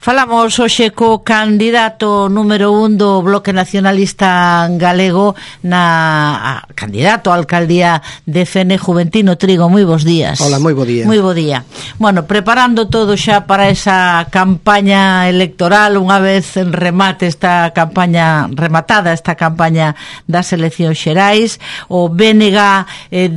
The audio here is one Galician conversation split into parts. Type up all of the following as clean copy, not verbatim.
Falamos hoxe co candidato número 1 do Bloque Nacionalista Galego candidato á alcaldía de Fene, Juventino Trigo. Moi bons días. Hola, moi bo día. Moi bo día. Bueno, preparando todo xa para esa campaña electoral, unha vez en remate rematada esta campaña das eleccións xerais, o BNG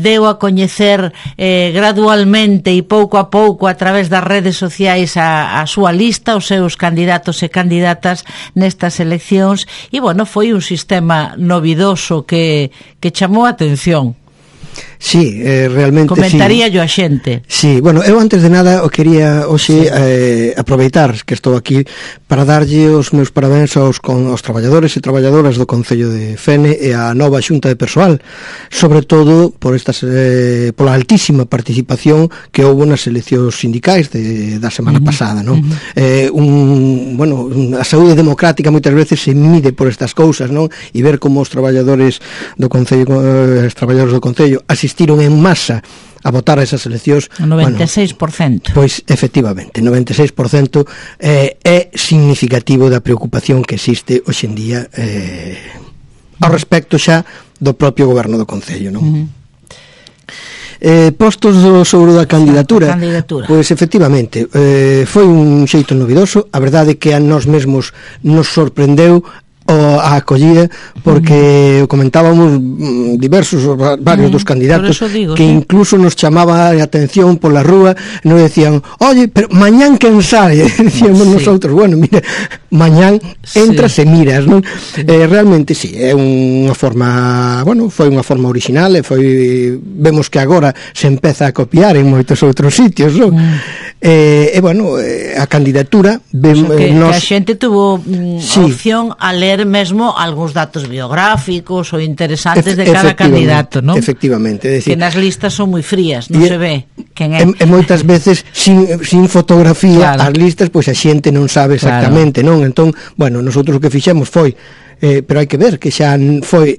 deu a coñecer gradualmente e pouco a pouco a través das redes sociais a súa lista, os seus candidatos e candidatas nestas eleccións, e bueno, foi un sistema novidoso que chamou a atención. Sí, realmente comentaría sí. Yo a xente. Sí, bueno, eu antes de nada o quería hoxe aproveitar que estou aquí para darlle os meus parabéns aos traballadores e traballadoras do Concello de Fene e a nova xunta de persoal, sobre todo por pola altísima participación que houve nas eleccións sindicais da semana pasada, non? A saúde democrática moitas veces se mide por estas cousas, non? E ver como os traballadores do Concello, os traballadores do Concello asistiron en masa a votar a esas eleccións. 96%. Bueno, pois, efectivamente, 96% é significativo da preocupación que existe hoxe en día ao respecto xa do propio goberno do Concello, non? Postos sobre da candidatura, pois efectivamente foi un xeito novidoso. A verdade é que a nós mesmos nos sorprendeu a acollida, porque comentábamos varios dos candidatos que incluso nos chamaba a atención pola rúa, nos decían, oye, pero mañán quen sabe, decíamos nosotros, bueno, mira, mañán entras e miras, non? Realmente sí, é unha forma, bueno, foi unha forma original, vemos que agora se empeza a copiar en moitos outros sitios, non? Bueno, a candidatura que a xente tuvo opción a ler mesmo algúns datos biográficos ou interesantes de cada candidato, non? Efectivamente, que nas listas son moi frías, non se ve quen é. E moitas veces sin fotografía, as listas, pois a xente non sabe exactamente, non? Entón, bueno, nosotros o que fixemos foi pero hai que ver que xa foi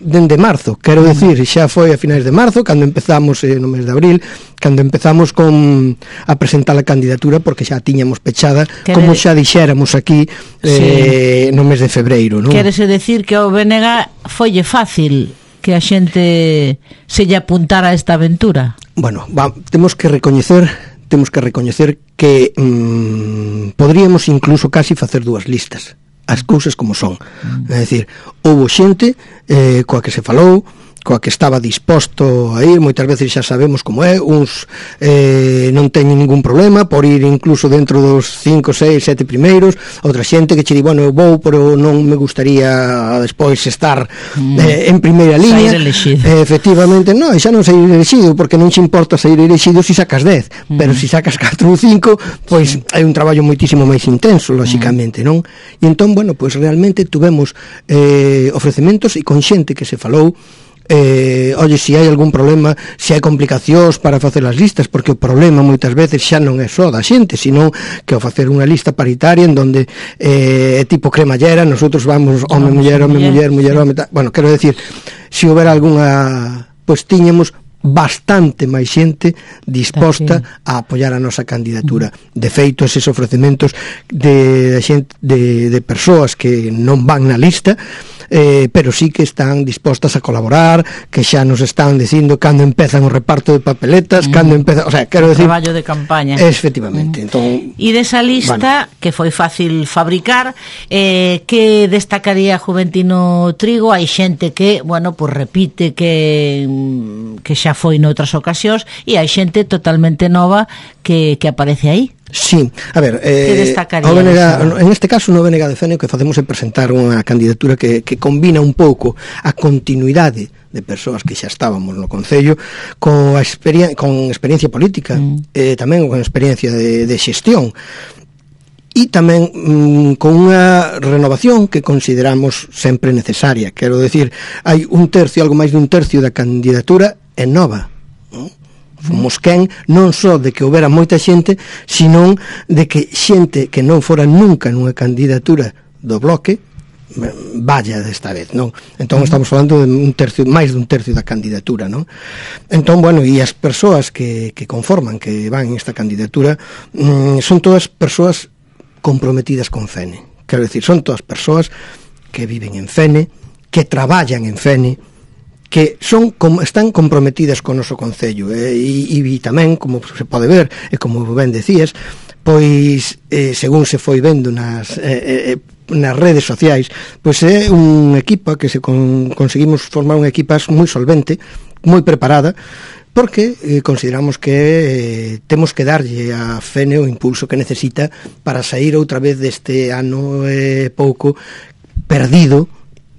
dende marzo, quero decir, xa foi a finais de marzo cando empezamos no mes de abril, cando empezamos a presentar a candidatura, porque xa tiñamos pechada, como xa dixéramos aquí no mes de febreiro, non? Quérese decir que ao BNG foille fácil que a xente se lle apuntara a esta aventura? Bueno, temos que recoñecer que podríamos incluso casi facer dúas listas, as cousas como son. É dicir, houve xente coa que se falou, coa que estaba disposto a ir, moitas veces xa sabemos como é, uns non teñen ningún problema por ir incluso dentro dos 5, 6, 7 primeiros, outra xente que che di, bueno, eu vou, pero non me gustaría despois estar en primeira liña. Efectivamente, non, xa non sair elexido, porque non che importa sair elexido se sacas 10, pero se sacas 4 ou 5, pois hai un traballo moitísimo máis intenso, lóxicamente, non? E entón, bueno, pois realmente tuvemos ofrecementos e con xente que se falou, oye, se hai algún problema, se hai complicacións para facer as listas, porque o problema moitas veces xa non é só da xente, sino que ao facer unha lista paritaria en donde tipo cremallera, nosotros vamos home, muller, home, bueno, quero decir, se houbera algunha, pois tiñamos bastante máis xente disposta a apoiar a nosa candidatura. De feito, eses ofrecementos de persoas que non van na lista, pero sí que están dispostas a colaborar, que xa nos están dicindo cando empezan o reparto de papeletas, cando empezan, o sea, quero decir, traballo de campaña. Efectivamente. Entón, e desa lista, que foi fácil fabricar, que destacaría Juventino Trigo? Hai xente que, bueno, pues repite que xa foi noutras ocasións, e hai xente totalmente nova que aparece aí. Sí, a ver, en este caso no BNG de Fene o que facemos é presentar unha candidatura que combina un pouco a continuidade de persoas que xa estábamos no Concello con experiencia política, tamén con experiencia de xestión, e tamén con unha renovación que consideramos sempre necesaria. Quero decir, hai algo máis de un tercio da candidatura é nova, non? Fomos quen non só de que houbera moita xente, sino de que xente que non fora nunca nunha candidatura do Bloque vaya desta vez, non? Entón estamos falando de máis dun tercio da candidatura, non? Entón, bueno, e as persoas que conforman, que van en esta candidatura, son todas persoas comprometidas con Fene. Quero decir, son todas persoas que viven en Fene, que traballan en Fene, que están comprometidas con o noso concello, e tamén, como se pode ver, e como ben decías, pois según se foi vendo nas redes sociais, pois é un equipa que conseguimos formar unha equipa moi solvente, moi preparada, porque consideramos que temos que darlle a Fene o impulso que necesita para sair outra vez deste ano pouco perdido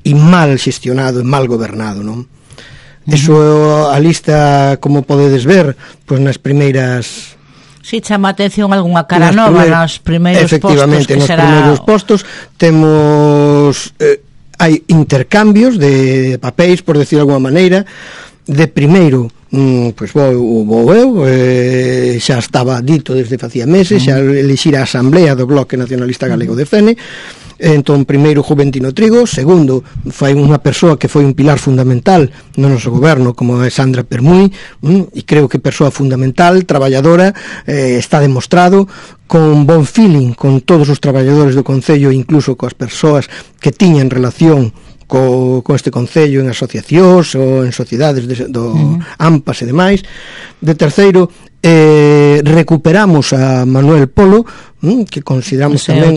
e mal xestionado e mal gobernado, non? Eso, a lista, como podedes ver, pois nas primeiras... Si, chama a atención algunha cara nova nos primeiros postos, efectivamente, nos primeiros postos temos hai intercambios de papéis, por decir de alguma maneira. De primeiro, pois vou eu, xa estaba dito desde facía meses, xa elixir a Asamblea do Bloque Nacionalista Galego de Fene. Entón, primeiro, Juventino Trigo. Segundo, foi unha persoa que foi un pilar fundamental no noso goberno, como é Sandra Permuy, e creo que persoa fundamental, traballadora, está demostrado, con bon feeling con todos os traballadores do Concello, incluso coas persoas que tiñan relación con este Concello en asociacións ou en sociedades do AMPAS e demais. De terceiro, recuperamos a Manuel Polo, que consideramos tamén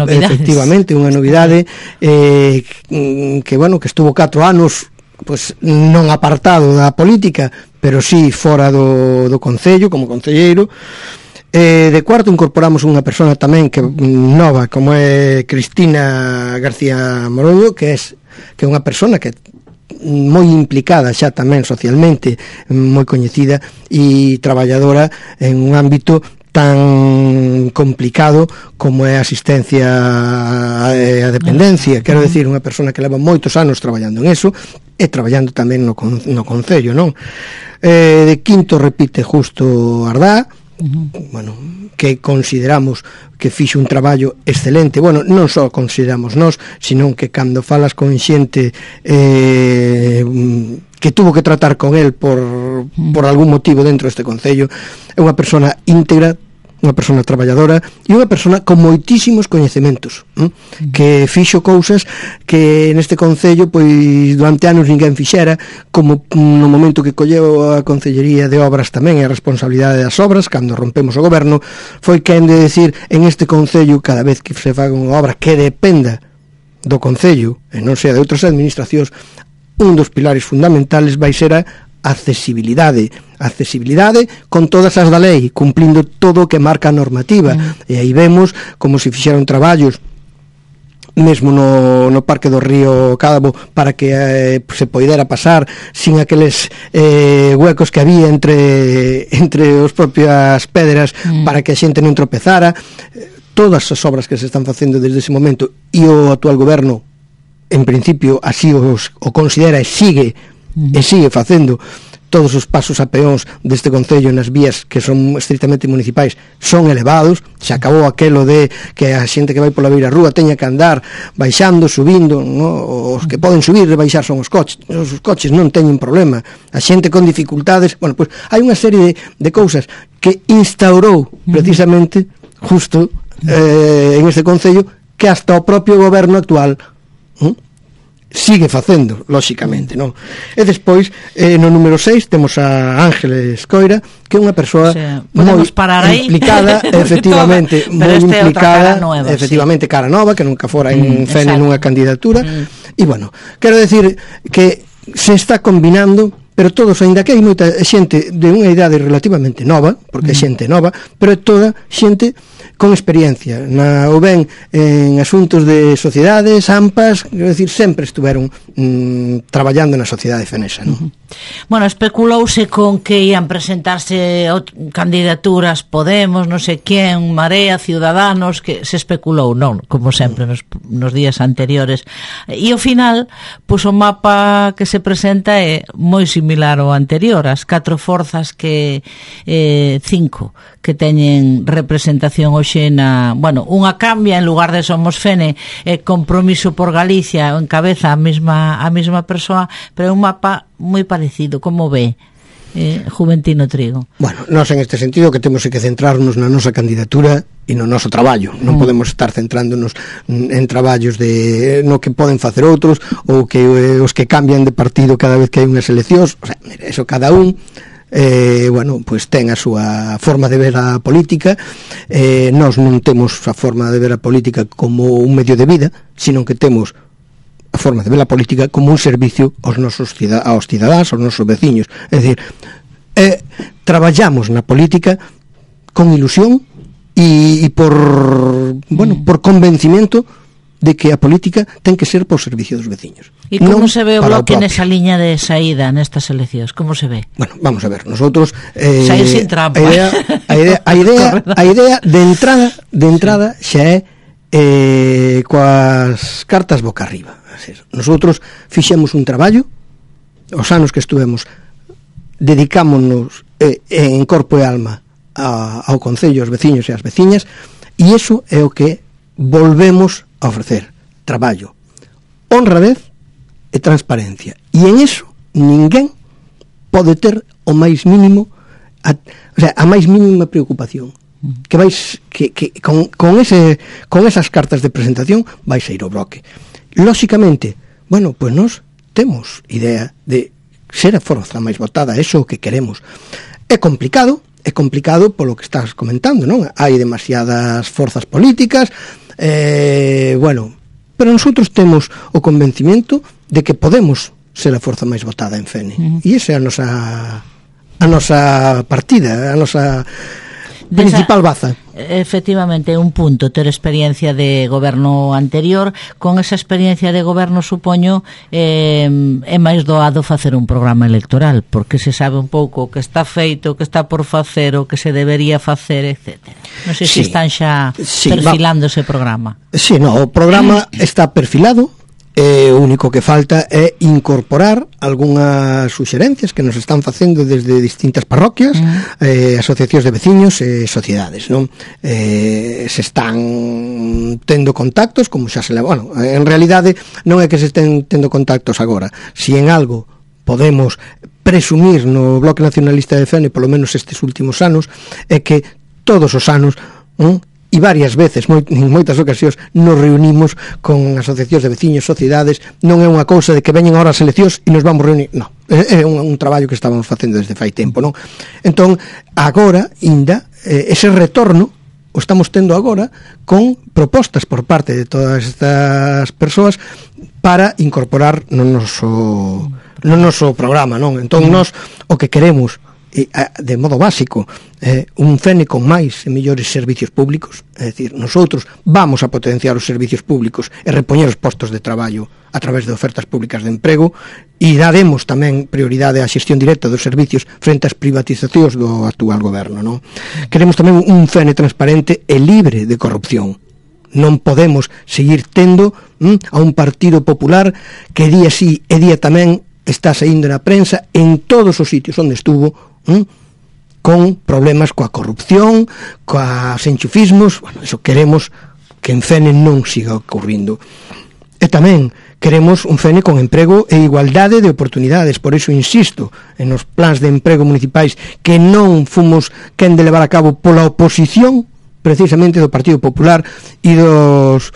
efectivamente unha novidade, que bueno, que estuvo 4 anos pois non apartado da política, pero sí fora do Concello como concelleiro. De cuarto, incorporamos unha persona tamén que nova, como é Cristina García Moroño, que é unha persona que moi implicada xa tamén socialmente, moi coñecida e traballadora en un ámbito tan complicado como é a asistencia a dependencia. Quero decir, unha persona que leva moitos anos traballando en eso e traballando tamén no Concello, non? De quinto, repite Justo Ardá, bueno, que consideramos que fixo un traballo excelente. Bueno, non só consideramos nós, senón que cando falas con xente que tuvo que tratar con el por algún motivo dentro deste Concello, é unha persona íntegra, unha persona traballadora e unha persona con moitísimos coñecementos, que fixo cousas que neste Concello pois durante anos ninguén fixera, como no momento que colleu a Concellería de Obras tamén a responsabilidade das obras, cando rompemos o goberno, foi quen de decir en este Concello, cada vez que se faga unha obra que dependa do Concello e non sea de outras administracións, un dos pilares fundamentales vai ser a accesibilidade con todas as da lei, cumplindo todo o que marca a normativa. E aí vemos como se fixeron traballos mesmo no Parque do Río Cádabo para que se poidera pasar sin aqueles huecos que había entre as propias pedras para que a xente non tropezara. Todas as obras que se están facendo desde ese momento, e o actual goberno en principio así o considera e sigue facendo. Todos os pasos a peóns deste Concello nas vías que son estritamente municipais son elevados. Se acabou aquelo de que a xente que vai pola beira rúa teña que andar baixando, subindo, no? Os que poden subir e baixar son os coches non teñen problema. A xente con dificultades, bueno, pois hai unha serie de cousas que instaurou precisamente Justo en este Concello, que hasta o propio goberno actual sigue facendo, lóxicamente, non? E despois, no número 6, temos a Ángeles Coira, que é unha persoa moi implicada, efectivamente, moi implicada, efectivamente, cara nova, que nunca fora en Fene nunha candidatura, e, bueno, quero decir que se está combinando, pero todos, aínda que hai moita xente de unha idade relativamente nova, porque é xente nova, pero é toda xente con experiencia, ou ben en asuntos de sociedades, AMPAs, quero decir, sempre estuveron traballando na sociedade fenesa, non? Bueno, especulouse con que ian presentarse candidaturas Podemos, non sei quen, Marea, Ciudadanos, que se especulou, non, como sempre nos días anteriores, e ao final, pois o mapa que se presenta é moi similar ao anterior, as 4 forzas que 5 que teñen representación hoxe na, bueno, unha cambia, en lugar de Somos Fene, Compromiso por Galicia, encabeza a mesma persoa, pero é un mapa moi parecido. Como ve? Juventino Trigo? Bueno, nós en este sentido que temos que centrarnos na nosa candidatura e no noso traballo. Non podemos estar centrándonos en traballos no que poden facer outros ou que os que cambian de partido cada vez que hai unhas eleccións. O sea, mira, eso cada un bueno, pues ten a súa forma de ver a política. Nós non temos a forma de ver a política como un medio de vida, sino que temos a forma de ver a política como un servicio aos cidadáns, aos nosos veciños. É dicir, traballamos na política con ilusión e por convencimento de que a política ten que ser por servicio dos veciños. E como se ve o Bloque nesa liña de saída nestas eleccións? Como se ve? Bueno, vamos a ver, nosotros saír sin trampa. A idea de entrada xa é coas cartas boca arriba. Nosotros fixemos un traballo, os anos que estuvemos dedicámonos en corpo e alma ao Concello, aos veciños e ás veciñas, e iso é o que volvemos a ofrecer: traballo, honradez e transparencia, e en iso ninguén pode ter o máis mínimo a máis mínima preocupación que con esas cartas de presentación vais a ir ao Bloque. Lóxicamente, bueno, pues nós temos idea de ser a forza máis votada, eso é o que queremos. É complicado polo que estás comentando, non? Hai demasiadas forzas políticas, bueno, pero nosotros temos o convencimento de que podemos ser a forza máis votada en Fene. E esa é a nosa partida, a nosa principal baza. Efectivamente, un punto ter experiencia de goberno anterior. Con esa experiencia de goberno, supoño, é máis doado facer un programa electoral, porque se sabe un pouco o que está feito, o que está por facer, o que se debería facer, etc. Non sei se están xa perfilando ese programa. Sí, no, o programa está perfilado. O único que falta é incorporar algunhas suxerencias que nos están facendo desde distintas parroquias, asociacións de veciños e sociedades, non? Se están tendo contactos, como xa se leva, bueno, en realidade non é que se estén tendo contactos agora. Si en algo podemos presumir no Bloque Nacionalista de Fene, polo menos estes últimos anos, é que todos os anos, e varias veces, en moitas ocasións, nos reunimos con asociacións de veciños, sociedades. Non é unha cousa de que veñen ahora as eleccións e nos vamos reunir, non, é un traballo que estábamos facendo desde fai tempo, non? Entón, agora, ainda, ese retorno o estamos tendo agora con propostas por parte de todas estas persoas para incorporar no noso programa, non? Entón, nós o que queremos de modo básico, un Fene con máis e mellores servicios públicos. É dicir, nosotros vamos a potenciar os servicios públicos e repoñer os postos de traballo a través de ofertas públicas de emprego, e daremos tamén prioridade á xestión directa dos servicios frente ás privatizacións do actual goberno, non? Queremos tamén un Fene transparente e libre de corrupción. Non podemos seguir tendo a un Partido Popular que día sí e día tamén está saindo na prensa en todos os sitios onde estuvo, con problemas coa corrupción, coas enchufismos. Bueno, eso queremos que en Fene non siga ocurrindo. E tamén queremos un Fene con emprego e igualdade de oportunidades. Por iso insisto en os plans de emprego municipais que non fomos quen de levar a cabo pola oposición precisamente do Partido Popular e dos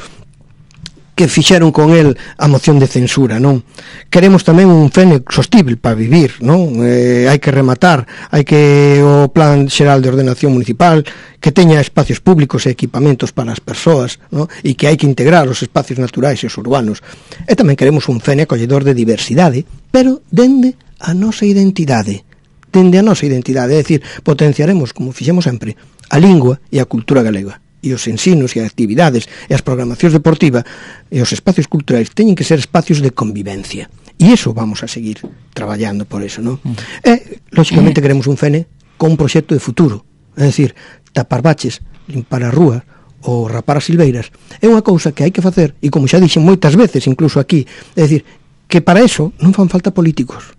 que fixeron con el a moción de censura, non? Queremos tamén un Fene sostível para vivir, non? Hai que rematar, hai que o Plan Xeral de Ordenación Municipal que teña espacios públicos e equipamentos para as persoas, non? E que hai que integrar os espacios naturais e os urbanos. E tamén queremos un Fene acolledor de diversidade, pero dende a nosa identidade. Dende a nosa identidade, é dicir, potenciaremos, como fixemos sempre, a lingua e a cultura galega. E os ensinos e as actividades e as programacións deportivas e os espacios culturais teñen que ser espacios de convivencia, e iso vamos a seguir traballando por eso, non? E, lóxicamente, queremos un Fene con un proxecto de futuro, é dicir, tapar baches, limpar as rúas ou rapar as silveiras é unha cousa que hai que facer, e como xa dixen moitas veces, incluso aquí, é dicir, que para eso non fan falta políticos.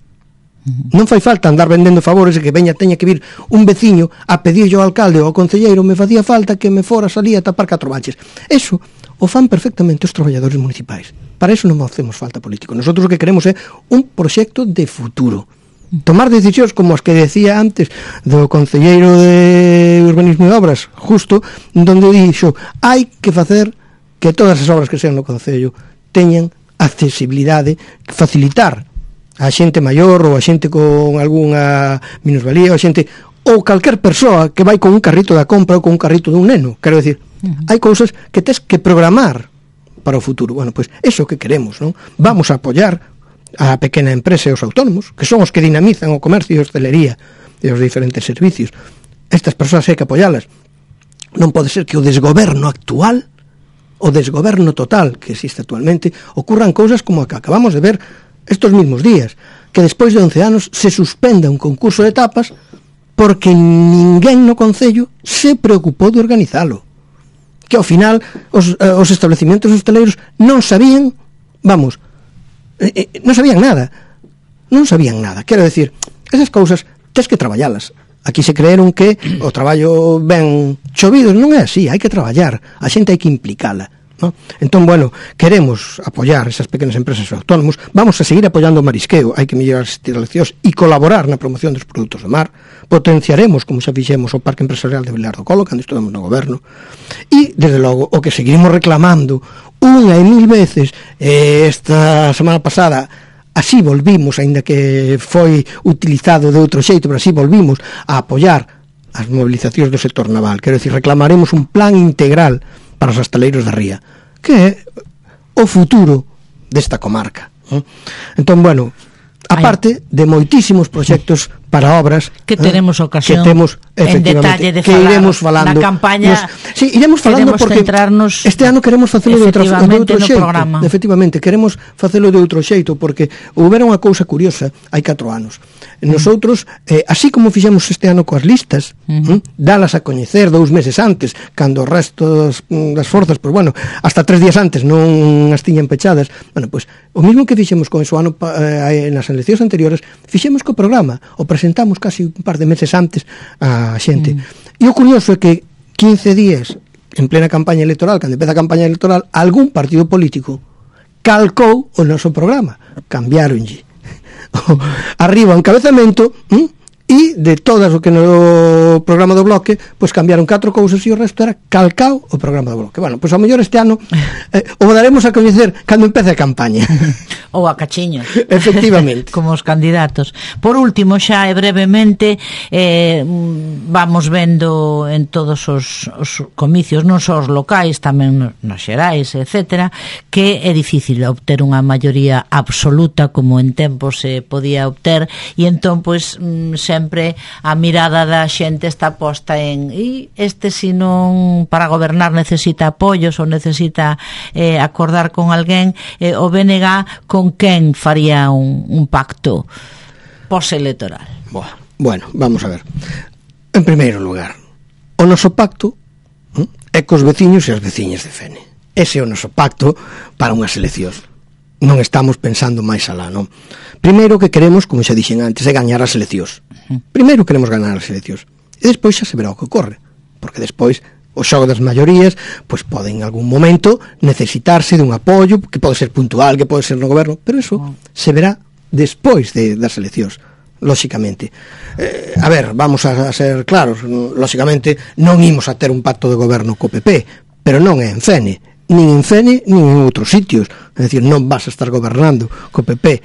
Non fai falta andar vendendo favores e que teña que vir un veciño a pedirlle ao alcalde ou ao concelleiro: me facía falta que me foras ali a tapar 4 baches. Eso o fan perfectamente os traballadores municipais. Para eso non facemos falta político. Nosotros o que queremos é un proxecto de futuro. tomar decisións como as que decía antes do concelleiro de Urbanismo e Obras, justo, donde dixo, hai que facer que todas as obras que sean no concello teñan accesibilidade, facilitar a xente maior ou a xente con algunha minusvalía, ou a xente ou calquer persoa que vai con un carrito da compra ou con un carrito dun neno. Quero decir, hai cousas que tes que programar para o futuro. Bueno, pois eso que queremos, non? Vamos a apoiar a pequena empresa e os autónomos, que son os que dinamizan o comercio e a hostelería e os diferentes servicios. Estas persoas hai que apoialas. Non pode ser que o desgoberno actual, o desgoberno total que existe actualmente, ocurran cousas como a que acabamos de ver estos mismos días, que despois de 11 anos se suspenda un concurso de tapas porque ninguén no concello se preocupou de organizalo, que ao final os estabelecimentos hosteleiros non sabían, non sabían nada, quero decir, esas cousas tes que traballalas. Aquí se creeron que o traballo ben chovido, non é así, hai que traballar, a xente hai que implicala, ¿no? Entón, bueno, queremos apoiar esas pequenas empresas e autónomos, vamos a seguir apoiando o marisqueo, hai que mellorar as instalacións e colaborar na promoción dos produtos do mar, potenciaremos, como xa fixemos, o Parque Empresarial de Vilar do Colo, cando estuvemos no goberno, e, desde logo, o que seguimos reclamando unha e mil veces, esta semana pasada, así volvimos, aínda que foi utilizado de outro xeito, pero así volvimos a apoiar as movilizacións do sector naval. Quero dicir, reclamaremos un plan integral para os hostaleiros da Ría, que é o futuro desta comarca. Entón, bueno, aparte de moitísimos proxectos para obras que teremos ocasión que temos, en detalle de que falar iremos falando na campaña. Sí, iremos falando porque este ano queremos facelo de outro xeito. Efectivamente, queremos facelo de outro xeito porque houbera unha cousa curiosa hai 4 anos. Nosotros, así como fixemos este ano coas listas, dalas a coñecer 2 meses antes, cando o resto das forzas, pois bueno, hasta 3 días antes non as tiñan pechadas. Bueno, pois o mismo que fixemos con eso ano nas eleccións anteriores, fixemos co programa, o presentamos casi un par de meses antes a xente. E o curioso é que 15 días en plena campaña electoral, cando empeza a campaña electoral, algún partido político calcou o noso programa, cambiaronlle arriba o encabezamento e de todas o que no programa do Bloque pois cambiaron 4 cousas e o resto era calcao o programa do Bloque. Bueno, pois ao mellor este ano o daremos a coñecer cando empece a campaña ou a cachiño, efectivamente, como os candidatos. Por último, xa e brevemente, vamos vendo en todos os comicios, non só os locais, tamén nos xerais, etcétera, que é difícil obter unha maioría absoluta como en tempo se podía obter, e entón, pois, sempre a mirada da xente está posta en este, se non para gobernar necesita apoios ou necesita acordar con alguén, o BNG con quen faría un pacto postelectoral? Bueno, vamos a ver. En primeiro lugar, o noso pacto é cos veciños e as veciñas de Fene. Ese é o noso pacto para unhas eleccións. Non estamos pensando máis alá, non? Primeiro que queremos, como xa dixen antes, é gañar as eleccións. Primeiro queremos gañar as eleccións. E despois xa se verá o que ocorre. Porque despois o xogo das maiorías pois pode en algún momento necesitarse dun apoio que pode ser puntual, que pode ser no goberno, pero eso se verá despois das eleccións, lóxicamente. A ver, vamos a ser claros, lóxicamente non imos a ter un pacto de goberno co PP, pero non é en Fene, nin en Fene nin en outros sitios, é dicir, non vas a estar gobernando co PP.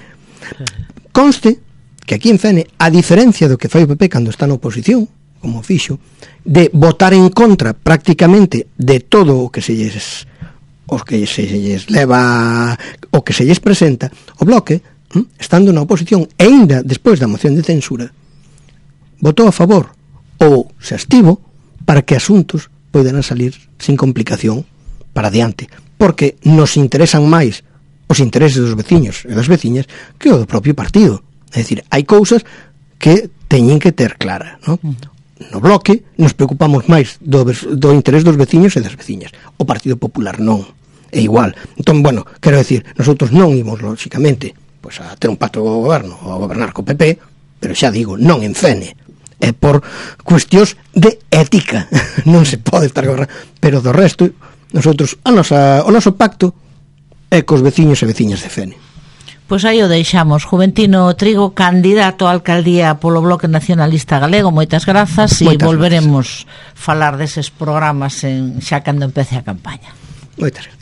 Conste que aquí en Fene, a diferencia do que fai o PP cando está na oposición, como fixo, de votar en contra prácticamente de todo o que se lles leva, o que se lles presenta, o Bloque, estando na oposición e ainda despois da moción de censura, votou a favor ou se abstivo para que asuntos poidan salir sin complicación para adiante, porque nos interesan máis os intereses dos veciños e das veciñas que o do propio partido. É dicir, hai cousas que teñen que ter clara, non? No Bloque nos preocupamos máis do interés dos veciños e das veciñas. O Partido Popular non, é igual. Entón, bueno, quero decir, nosotros non imos, lóxicamente, pois a ter un pacto de goberno ou a gobernar co PP, pero xa digo, non en Fene. É por cuestións de ética. Non se pode estar gobernando. Pero do resto, nosotros, o noso pacto é cos veciños e veciñas de Fene. Pois aí o deixamos. Juventino Trigo, candidato a alcaldía polo Bloque Nacionalista Galego, moitas grazas, e volveremos falar deses programas xa cando empece a campaña. Moitas grazas.